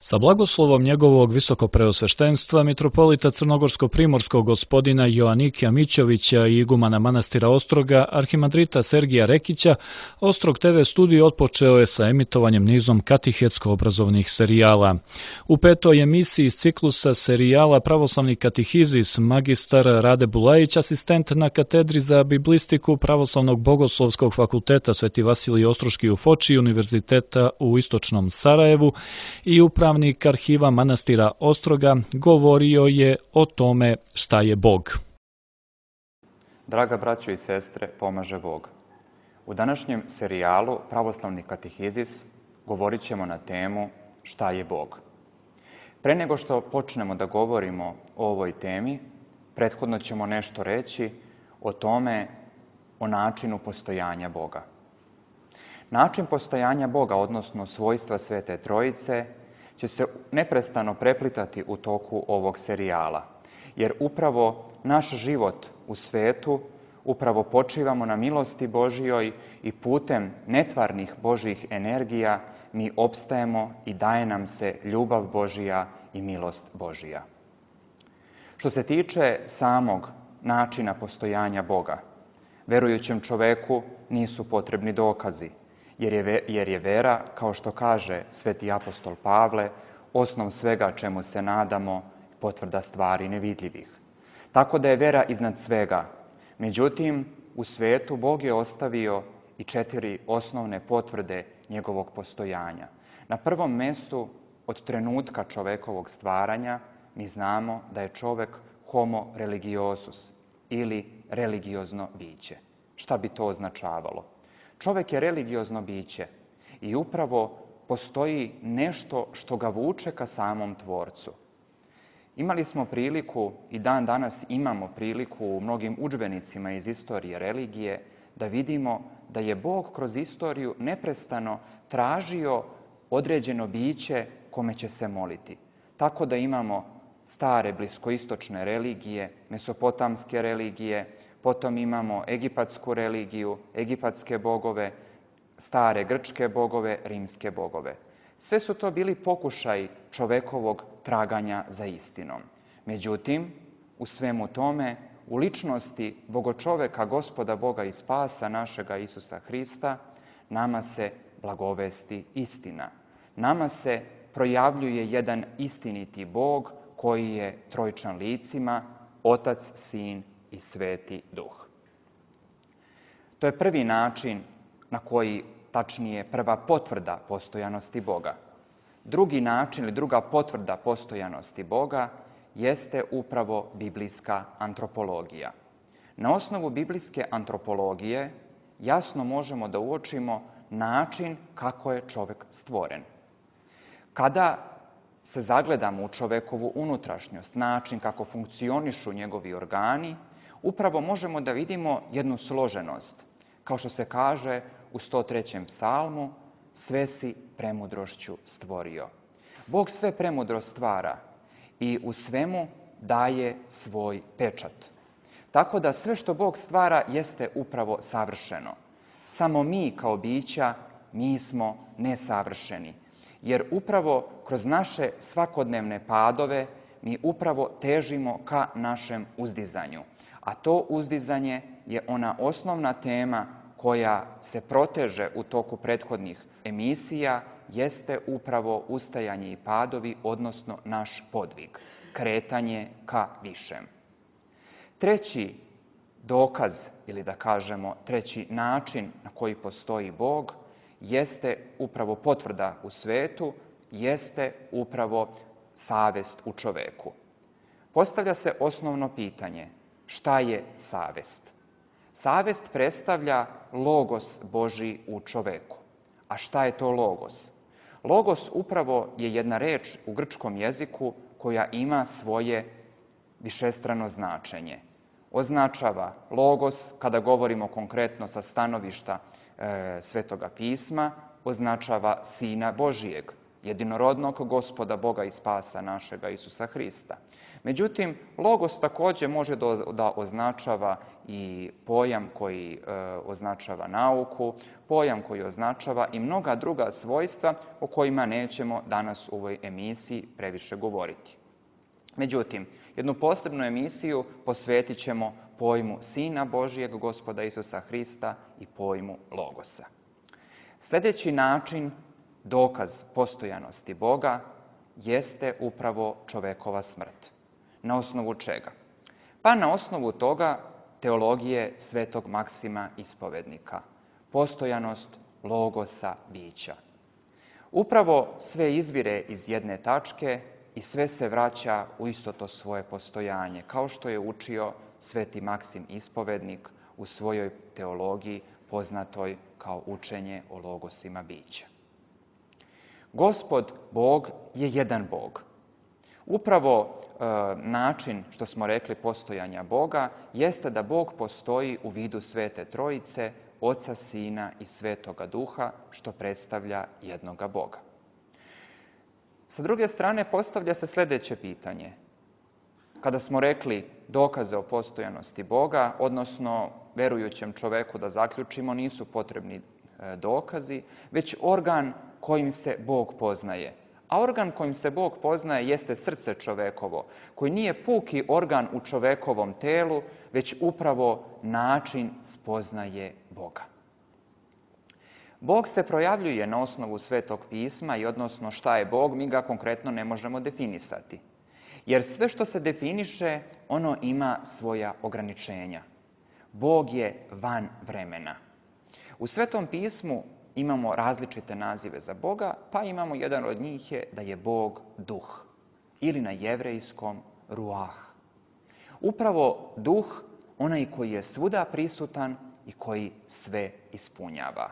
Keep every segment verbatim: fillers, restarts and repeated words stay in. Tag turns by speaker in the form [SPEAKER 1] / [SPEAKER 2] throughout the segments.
[SPEAKER 1] Sa blagoslovom njegovog visokopreosveštenstva mitropolita crnogorsko-primorskog gospodina Joanikija Mićovića i igumana manastira Ostroga, arhimandrita Sergija Rekića, Ostrog te ve studij otpočeo je sa emitovanjem nizom katehetsko-obrazovnih serijala. U petoj emisiji iz ciklusa serijala Pravoslavni katehizis magistar Rade Bulajić, asistent na katedri za biblistiku Pravoslavnog bogoslovskog fakulteta Sveti Vasilij Ostroški u Foči Univerziteta u Istočnom Sarajevu i upravnik arhiva manastira Ostroga, govorio je o tome šta je Bog.
[SPEAKER 2] Draga braćo i sestre, pomaže Bog. U današnjem serijalu Pravoslavni katehizis govorit ćemo na temu šta je Bog. Pre nego što počnemo da govorimo o ovoj temi, prethodno ćemo nešto reći o tome, o načinu postojanja Boga. Način postojanja Boga, odnosno svojstva Svete Trojice, će se neprestano preplitati u toku ovog serijala, jer upravo naš život u svetu upravo počivamo na milosti Božijoj i putem netvarnih Božjih energija mi opstajemo i daje nam se ljubav Božija i milost Božija. Što se tiče samog načina postojanja Boga, verujućem čoveku nisu potrebni dokazi, jer je, jer je vera, kao što kaže sveti apostol Pavle, osnov svega čemu se nadamo, potvrda stvari nevidljivih. Tako da je vera iznad svega. Međutim, u svetu Bog je ostavio i četiri osnovne potvrde njegovog postojanja. Na prvom mjestu, od trenutka čovekovog stvaranja, mi znamo da je čovek homo religiosus ili religiozno biće. Šta bi to označavalo? Čovek je religiozno biće i upravo postoji nešto što ga vuče ka samom Tvorcu. Imali smo priliku i dan danas imamo priliku u mnogim udžbenicima iz istorije religije da vidimo da je Bog kroz istoriju neprestano tražio određeno biće kome će se moliti. Tako da imamo stare bliskoistočne religije, mesopotamske religije, potom imamo egipatsku religiju, egipatske bogove, stare grčke bogove, rimske bogove. Sve su to bili pokušaj čovekovog traganja za istinom. Međutim, u svemu tome, u ličnosti bogočoveka, Gospoda Boga i Spasa našega Isusa Hrista, nama se blagovesti istina. Nama se projavljuje jedan istiniti Bog koji je trojčan licima, Otac, Sin i Sveti Duh. To je prvi način na koji, tačnije prva potvrda postojanosti Boga. Drugi način ili druga potvrda postojanosti Boga jeste upravo biblijska antropologija. Na osnovu biblijske antropologije jasno možemo da uočimo način kako je čovek stvoren. Kada se zagledamo u čovekovu unutrašnjost, način kako funkcionišu njegovi organi, upravo možemo da vidimo jednu složenost. Kao što se kaže u sto trećem psalmu, sve si premudrošću stvorio. Bog sve premudro stvara i u svemu daje svoj pečat. Tako da sve što Bog stvara jeste upravo savršeno. Samo mi kao bića, mi smo nesavršeni. Jer upravo kroz naše svakodnevne padove mi upravo težimo ka našem uzdizanju. A to uzdizanje je ona osnovna tema koja se proteže u toku prethodnih emisija, jeste upravo ustajanje i padovi, odnosno naš podvig, kretanje ka višem. Treći dokaz, ili da kažemo treći način na koji postoji Bog, jeste upravo potvrda u svetu, jeste upravo savest u čoveku. Postavlja se osnovno pitanje, šta je savest? Savest predstavlja logos Božji u čoveku. A šta je to logos? Logos upravo je jedna reč u grčkom jeziku koja ima svoje višestrano značenje. Označava logos, kada govorimo konkretno sa stanovišta e, Svetoga pisma, označava Sina Božijeg, jedinorodnog Gospoda Boga i spasa našega Isusa Hrista. Međutim, logos također može da označava i pojam koji e, označava nauku, pojam koji označava i mnoga druga svojstva o kojima nećemo danas u ovoj emisiji previše govoriti. Međutim, jednu posebnu emisiju posvetit ćemo pojmu Sina Božijeg, Gospoda Isusa Hrista i pojmu logosa. Sljedeći način, dokaz postojanosti Boga, jeste upravo čovekova smrt. Na osnovu čega? Pa na osnovu toga teologije svetog Maksima Ispovednika. Postojanost logosa bića. Upravo sve izvire iz jedne tačke i sve se vraća u isto to svoje postojanje, kao što je učio sveti Maksim Ispovednik u svojoj teologiji poznatoj kao učenje o logosima bića. Gospod Bog je jedan Bog. Upravo e, način, što smo rekli, postojanja Boga jeste da Bog postoji u vidu Svete Trojice, Oca, Sina i Svetoga Duha, što predstavlja jednoga Boga. Sa druge strane, postavlja se sljedeće pitanje. Kada smo rekli dokaze o postojanosti Boga, odnosno verujućem čoveku da zaključimo, nisu potrebni e, dokazi, već organ kojim se Bog poznaje. A organ kojim se Bog poznaje jeste srce čovekovo, koji nije puki organ u čovekovom telu, već upravo način spoznaje Boga. Bog se projavljuje na osnovu Svetog pisma i odnosno šta je Bog, mi ga konkretno ne možemo definisati. Jer sve što se definiše, ono ima svoja ograničenja. Bog je van vremena. U Svetom pismu imamo različite nazive za Boga, pa imamo jedan od njih je da je Bog duh ili na jevrejskom ruah. Upravo duh, onaj koji je svuda prisutan i koji sve ispunjava.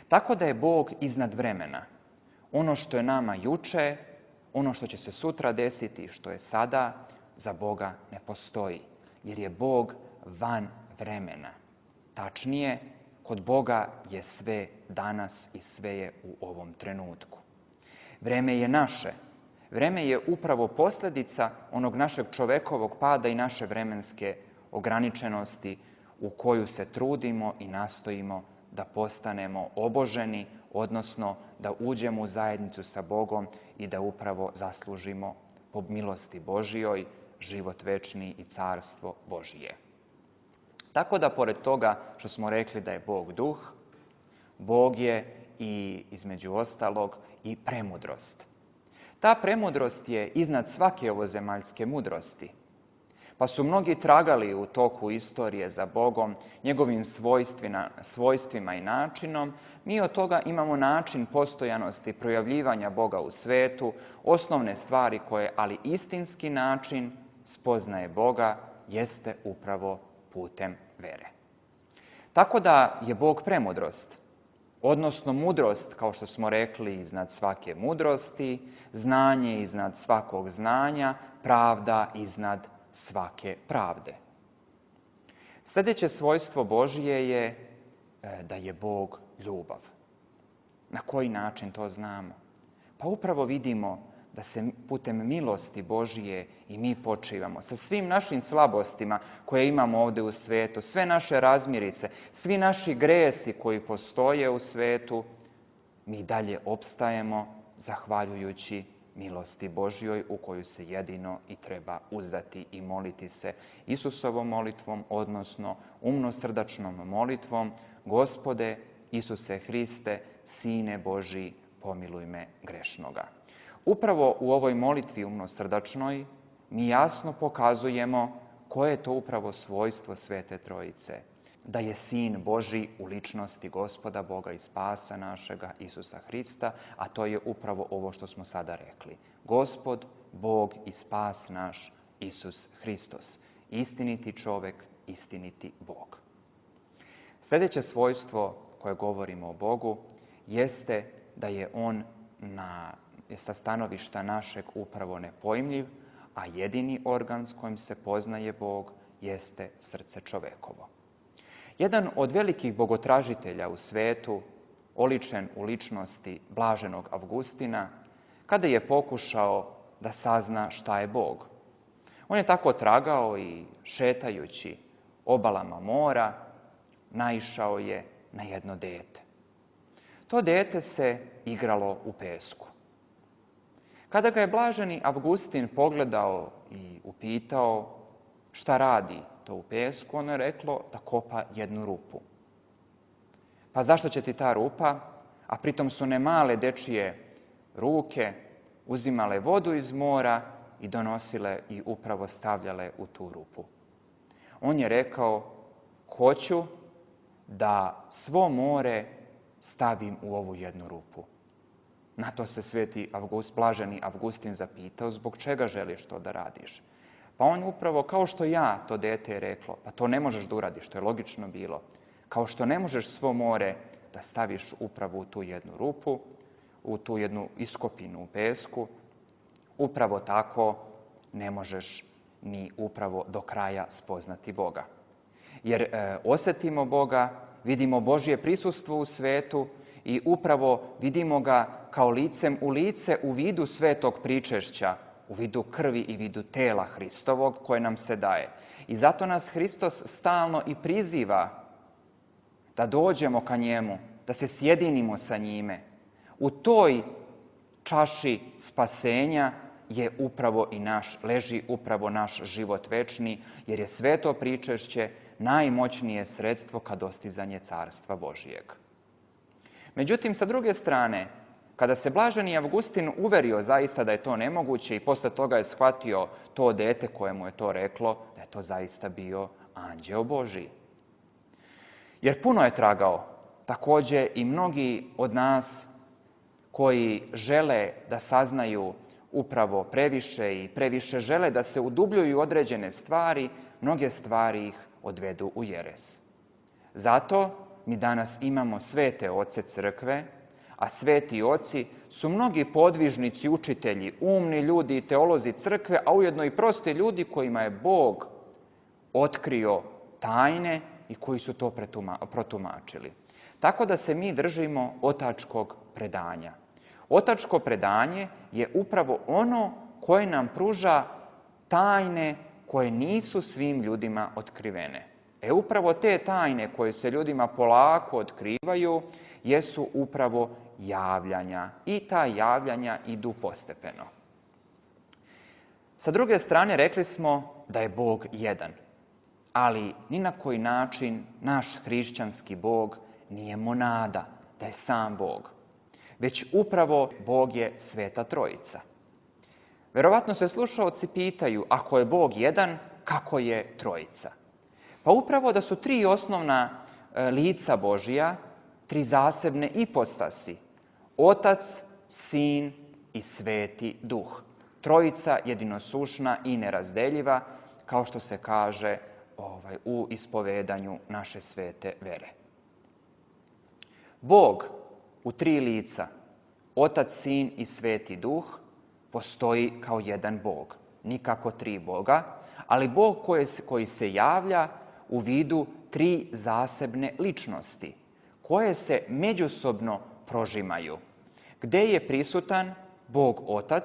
[SPEAKER 2] Tako da je Bog iznad vremena. Ono što je nama juče, ono što će se sutra desiti, što je sada, za Boga ne postoji, jer je Bog van vremena. Tačnije, kod Boga je sve danas i sve je u ovom trenutku. Vreme je naše. Vreme je upravo posljedica onog našeg čovekovog pada i naše vremenske ograničenosti u koju se trudimo i nastojimo da postanemo oboženi, odnosno da uđemo u zajednicu sa Bogom i da upravo zaslužimo po milosti Božijoj život večni i carstvo Božije. Tako da, pored toga što smo rekli da je Bog duh, Bog je i, između ostalog, i premudrost. Ta premudrost je iznad svake ovozemaljske mudrosti. Pa su mnogi tragali u toku istorije za Bogom, njegovim svojstvima, svojstvima i načinom. Mi od toga imamo način postojanosti projavljivanja Boga u svetu, osnovne stvari koje, ali istinski način spoznaje Boga, jeste upravo putem vere. Tako da je Bog premudrost, odnosno mudrost, kao što smo rekli, iznad svake mudrosti, znanje iznad svakog znanja, pravda iznad svake pravde. Sljedeće svojstvo Božije je da je Bog ljubav. Na koji način to znamo? Pa upravo vidimo da se putem milosti Božije i mi počivamo sa svim našim slabostima koje imamo ovdje u svijetu, sve naše razmirice, svi naši gresi koji postoje u svijetu, mi dalje opstajemo zahvaljujući milosti Božjoj u koju se jedino i treba uzdati i moliti se Isusovom molitvom, odnosno umnosrdačnom molitvom: Gospode Isuse Hriste, Sine Božji, pomiluj me grešnoga. Upravo u ovoj molitvi umnosrdačnoj mi jasno pokazujemo koje je to upravo svojstvo Svete Trojice. Da je Sin Božji u ličnosti Gospoda Boga i spasa našega Isusa Hrista, a to je upravo ovo što smo sada rekli. Gospod, Bog i spas naš Isus Hristos. Istiniti čovjek, istiniti Bog. Sljedeće svojstvo koje govorimo o Bogu jeste da je on na, sa stanovišta našeg upravo nepojmljiv, a jedini organ s kojim se poznaje Bog jeste srce čovekovo. Jedan od velikih bogotražitelja u svetu, oličen u ličnosti blaženog Avgustina, kada je pokušao da sazna šta je Bog. On je tako tragao i šetajući obalama mora, naišao je na jedno dete. To dete se igralo u pesku. Kada ga je blaženi Avgustin pogledao i upitao šta radi to u pesku, ono je reklo da kopa jednu rupu. Pa zašto će ti ta rupa? A pritom su ne male dečije ruke uzimale vodu iz mora i donosile i upravo stavljale u tu rupu. On je rekao, hoću da svo more stavim u ovu jednu rupu. Na to se sveti Avgust, blaženi Avgustin zapitao, zbog čega želiš to da radiš? Pa on upravo, kao što ja, to dete je reklo, pa to ne možeš da uradiš, što je logično bilo. Kao što ne možeš svo more da staviš upravo u tu jednu rupu, u tu jednu iskopinu u pesku, upravo tako ne možeš ni upravo do kraja spoznati Boga. Jer e, osjetimo Boga, vidimo Božje prisustvo u svetu i upravo vidimo ga kao licem u lice u vidu svetog pričešća, u vidu krvi i vidu tela Hristovog koje nam se daje. I zato nas Hristos stalno i priziva da dođemo ka njemu, da se sjedinimo sa njime. U toj čaši spasenja je upravo i naš, leži upravo naš život večni, jer je sveto pričešće najmoćnije sredstvo ka dostizanje Carstva Božijeg. Međutim, sa druge strane, kada se blaženi Avgustin uverio zaista da je to nemoguće i posle toga je shvatio to dete koje mu je to reklo, da je to zaista bio anđeo Božiji. Jer puno je tragao, također i mnogi od nas koji žele da saznaju upravo previše i previše žele da se udubljuju određene stvari, mnoge stvari ih odvedu u jeres. Zato mi danas imamo svete oce crkve, a sveti oci su mnogi podvižnici, učitelji, umni ljudi i teolozi crkve, a ujedno i prosti ljudi kojima je Bog otkrio tajne i koji su to protumačili. Tako da se mi držimo otačkog predanja. Otačko predanje je upravo ono koje nam pruža tajne koje nisu svim ljudima otkrivene. E upravo te tajne koje se ljudima polako otkrivaju jesu upravo javljanja i ta javljanja idu postepeno. Sa druge strane rekli smo da je Bog jedan, ali ni na koji način naš hrišćanski Bog nije monada, da je sam Bog, već upravo Bog je Sveta Trojica. Verovatno se slušaoci pitaju, ako je Bog jedan, kako je Trojica? Pa upravo da su tri osnovna e, lica Božija, tri zasebne ipostasi, Otac, Sin i Sveti Duh. Trojica jedinosušna i nerazdeljiva, kao što se kaže ovaj, u ispovedanju naše svete vere. Bog u tri lica, Otac, Sin i Sveti Duh, postoji kao jedan Bog, nikako tri Boga, ali Bog koji, koji se javlja u vidu tri zasebne ličnosti, koje se međusobno prožimaju. Gde je prisutan Bog Otac,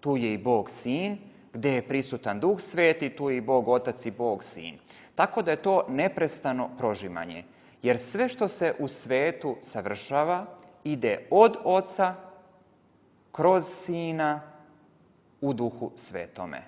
[SPEAKER 2] tu je i Bog Sin, gde je prisutan Duh Sveti, tu je i Bog Otac i Bog Sin. Tako da je to neprestano prožimanje, jer sve što se u svetu savršava ide od Oca kroz Sina u Duhu Svetome.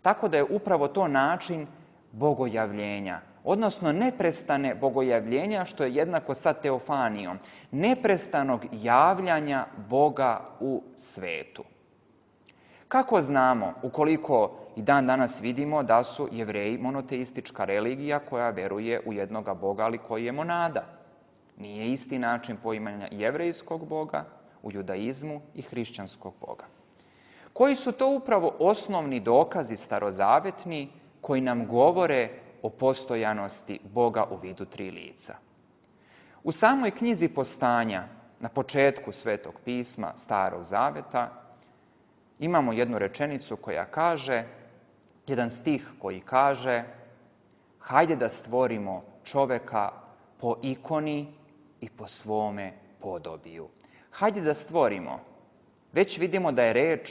[SPEAKER 2] Tako da je upravo to način bogojavljenja, odnosno neprestane bogojavljenja, što je jednako sa teofanijom, neprestanog javljanja Boga u svetu. Kako znamo, ukoliko i dan danas vidimo da su Jevreji monoteistička religija koja veruje u jednoga Boga, ali koji je monada? Nije isti način poimanja jevrejskog Boga u judaizmu i hrišćanskog Boga. Koji su to upravo osnovni dokazi starozavetni koji nam govore o postojanosti Boga u vidu tri lica? U samoj knjizi Postanja, na početku Svetog pisma Starog Zaveta, imamo jednu rečenicu koja kaže, jedan stih koji kaže, hajde da stvorimo čoveka po ikoni i po svome podobiju. Hajde da stvorimo već vidimo da je reč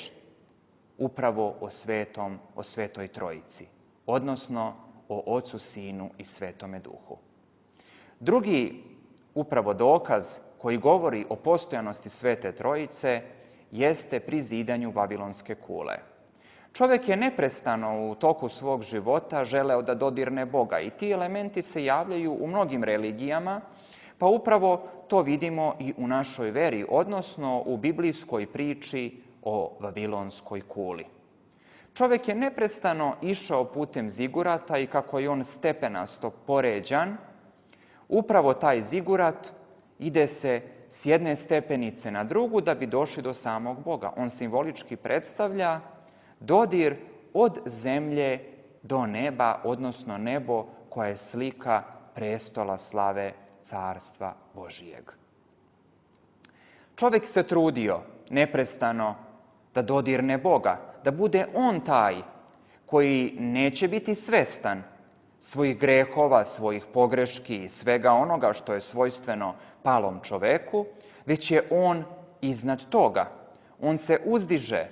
[SPEAKER 2] upravo o svetom, o svetoj trojici, odnosno o Ocu, Sinu i Svetome Duhu. Drugi upravo dokaz koji govori o postojanosti Svete Trojice jeste pri zidanju Vavilonske kule. Čovjek je neprestano u toku svog života želeo da dodirne Boga i ti elementi se javljaju u mnogim religijama, pa upravo to vidimo i u našoj veri, odnosno u biblijskoj priči o Vavilonskoj kuli. Čovjek je neprestano išao putem zigurata i kako je on stepenasto poređan, upravo taj zigurat ide se s jedne stepenice na drugu da bi došli do samog Boga. On simbolički predstavlja dodir od zemlje do neba, odnosno nebo koja je slika prestola slave Carstva Božijeg. Čovjek se trudio neprestano da dodirne Boga, da bude on taj koji neće biti svestan svojih grehova, svojih pogreški i svega onoga što je svojstveno palom čoveku, već je on iznad toga. On se uzdiže,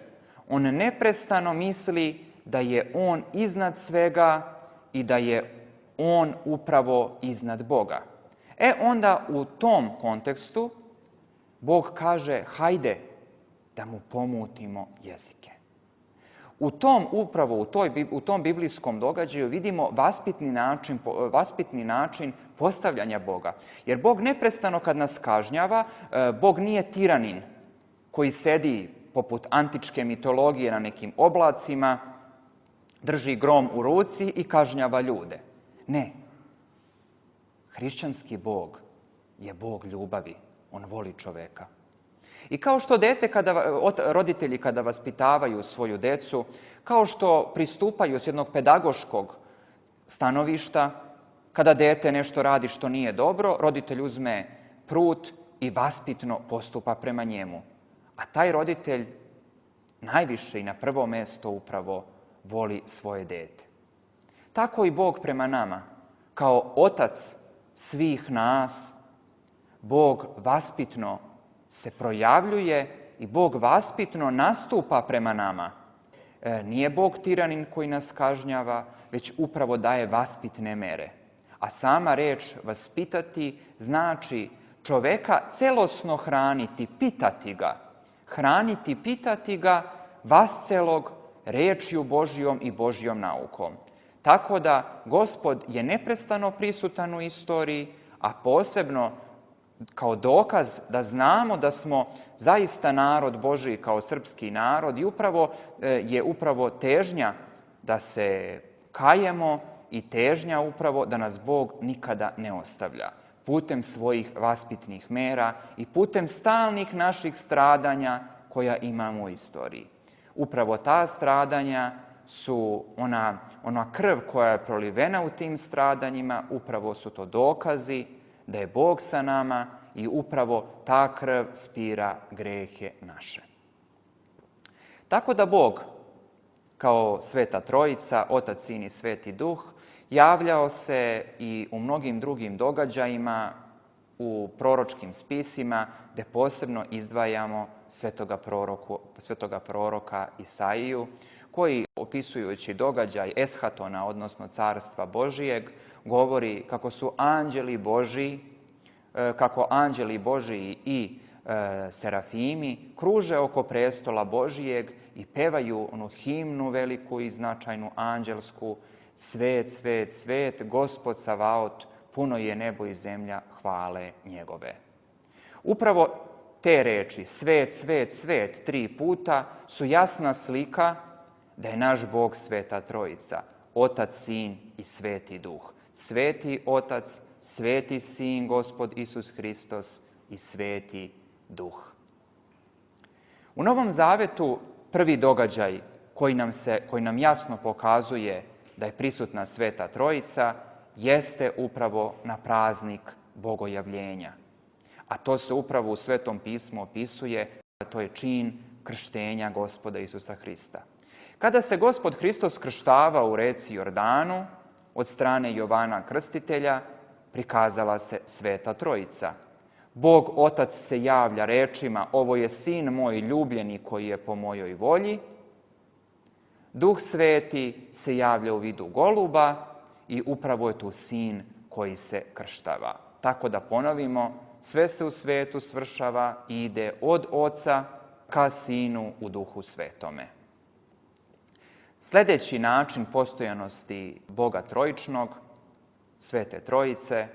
[SPEAKER 2] on neprestano misli da je on iznad svega i da je on upravo iznad Boga. E onda u tom kontekstu Bog kaže hajde da mu pomutimo jezike. U tom upravo, u, toj, u tom biblijskom događaju vidimo vaspitni način, vaspitni način postavljanja Boga. Jer Bog neprestano kad nas kažnjava, Bog nije tiranin koji sedi poput antičke mitologije na nekim oblacima, drži grom u ruci i kažnjava ljude. Ne. Hrišćanski Bog je Bog ljubavi. On voli čoveka. I kao što dete, kada, roditelji kada vaspitavaju svoju decu, kao što pristupaju s jednog pedagoškog stanovišta, kada dete nešto radi što nije dobro, roditelj uzme prut i vaspitno postupa prema njemu. A taj roditelj najviše i na prvo mesto upravo voli svoje dete. Tako i Bog prema nama, kao otac svih nas, Bog vaspitno se projavljuje i Bog vaspitno nastupa prema nama. E, nije Bog tiranin koji nas kažnjava, već upravo daje vaspitne mere. A sama reč vaspitati znači čoveka celosno hraniti, pitati ga. Hraniti, pitati ga vascelog rečju Božjom i Božjom naukom. Tako da Gospod je neprestano prisutan u istoriji, a posebno kao dokaz da znamo da smo zaista narod Božji kao srpski narod i upravo je upravo težnja da se kajemo i težnja upravo da nas Bog nikada ne ostavlja. Putem svojih vaspitnih mera i putem stalnih naših stradanja koja imamo u istoriji. Upravo ta stradanja su ona, ona krv koja je prolivena u tim stradanjima, upravo su to dokazi da je Bog sa nama i upravo ta krv spira grehe naše. Tako da Bog, kao Sveta Trojica, Otac, Sin i Sveti Duh, javljao se i u mnogim drugim događajima, u proročkim spisima, gde posebno izdvajamo svetoga, proroku, svetoga proroka Isaiju, koji, opisujući događaj Eshatona, odnosno Carstva Božijeg, govori kako su anđeli Božiji, kako anđeli Božiji i e, serafimi kruže oko prestola Božijeg i pevaju onu himnu veliku i značajnu anđelsku: Svet, svet, svet, Gospod Savaot, puno je nebo i zemlja hvale njegove. Upravo te reči, svet, svet, svet, tri puta, su jasna slika da je naš Bog Sveta Trojica, Otac, Sin i Sveti Duh. Sveti Otac, Sveti Sin, Gospod Isus Hristos i Sveti Duh. U Novom Zavetu prvi događaj koji nam, se, koji nam jasno pokazuje da je prisutna Sveta Trojica jeste upravo na praznik Bogojavljenja. A to se upravo u Svetom pismu opisuje, a to je čin krštenja Gospoda Isusa Hrista. Kada se Gospod Hristos krštava u reci Jordanu od strane Jovana Krstitelja, prikazala se Sveta Trojica. Bog Otac se javlja rečima: ovo je Sin moj ljubljeni koji je po mojoj volji. Duh Sveti se javlja u vidu goluba i upravo je tu Sin koji se krštava. Tako da ponovimo, sve se u svetu svršava i ide od Oca ka Sinu u Duhu Svetome. Sljedeći način postojanosti Boga Trojičnog, Svete Trojice,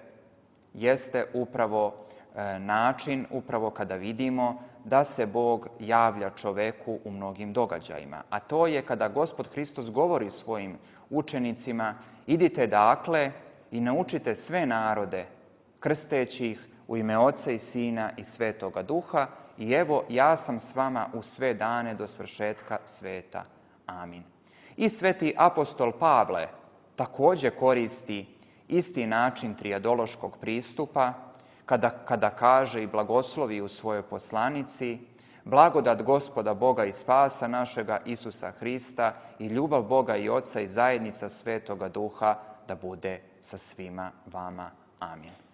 [SPEAKER 2] jeste upravo e, način upravo kada vidimo da se Bog javlja čoveku u mnogim događajima. A to je kada Gospod Hristos govori svojim učenicima: idite dakle i naučite sve narode, krsteći ih u ime Oca i Sina i Svetoga Duha, i evo ja sam s vama u sve dane do svršetka sveta. Amin. I sveti apostol Pavle također koristi isti način trijadološkog pristupa kada, kada kaže i blagoslovi u svojoj poslanici: blagodat Gospoda Boga i spasa našega Isusa Hrista i ljubav Boga i Oca i zajednica Svetoga Duha da bude sa svima vama. Amin.